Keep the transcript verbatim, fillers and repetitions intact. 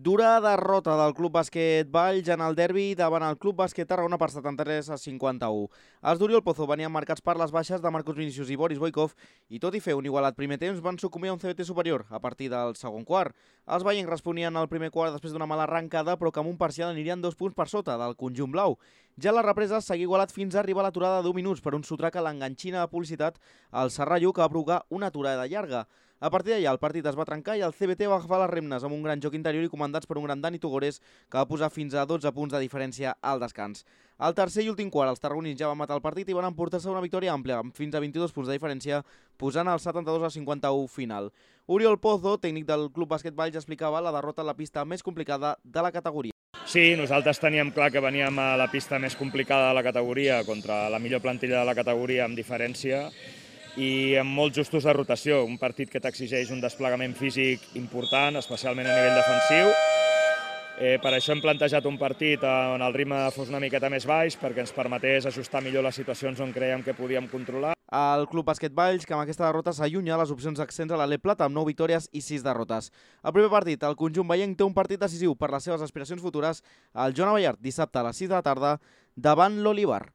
Dura derrota del Club Bàsquet Valls en el derbi davant el Club Bàsquet Tarragona per setanta-tres a cinquanta-u. Els d'Oriol Pozo venien marcats per les baixes de Marcos Vinícius i Boris Boikov i tot i fer un igualat primer temps van sucumbir a un C B T superior a partir del segon quart. Els veients responien al primer quart després d'una mala arrencada però que amb un parcial anirien dos punts per sota del conjunt blau. Ja la represa seguia igualat fins a arribar a l'aturada de deu minuts per un sotrac a l'enganxina de publicitat al Serrallo que va provocar una aturada llarga. A partir d'allà el partit es va trencar i el C B T va agafar les regnes amb un gran joc interior i comandats per un gran Dani Tugores que va posar fins a dotze punts de diferència al descans. Al tercer i últim quart els tarragonins ja van matar el partit i van emportar-se una victòria àmplia amb fins a vint-i-dos punts de diferència posant el setanta-dos a cinquanta-u final. Oriol Pozo, tècnic del Club Bàsquet Valls, explicava la derrota a la pista més complicada de la categoria. Sí, nosaltres teníem clar que veníem a la pista més complicada de la categoria contra la millor plantilla de la categoria amb diferència i amb molts justos de rotació, un partit que t'exigeix un desplegament físic important, especialment a nivell defensiu. Eh, per això hem plantejat un partit on el ritme fos una miqueta més baix perquè ens permetés ajustar millor les situacions on creiem que podíem controlar. El Club Bàsquet Valls, que amb aquesta derrota s'allunya les opcions d'accents a l'Alep Plata amb nou victòries i sis derrotes. El primer partit, el conjunt veienc té un partit decisiu per les seves aspiracions futures al Joan Abellart dissabte a les sis de la tarda davant l'Olivar.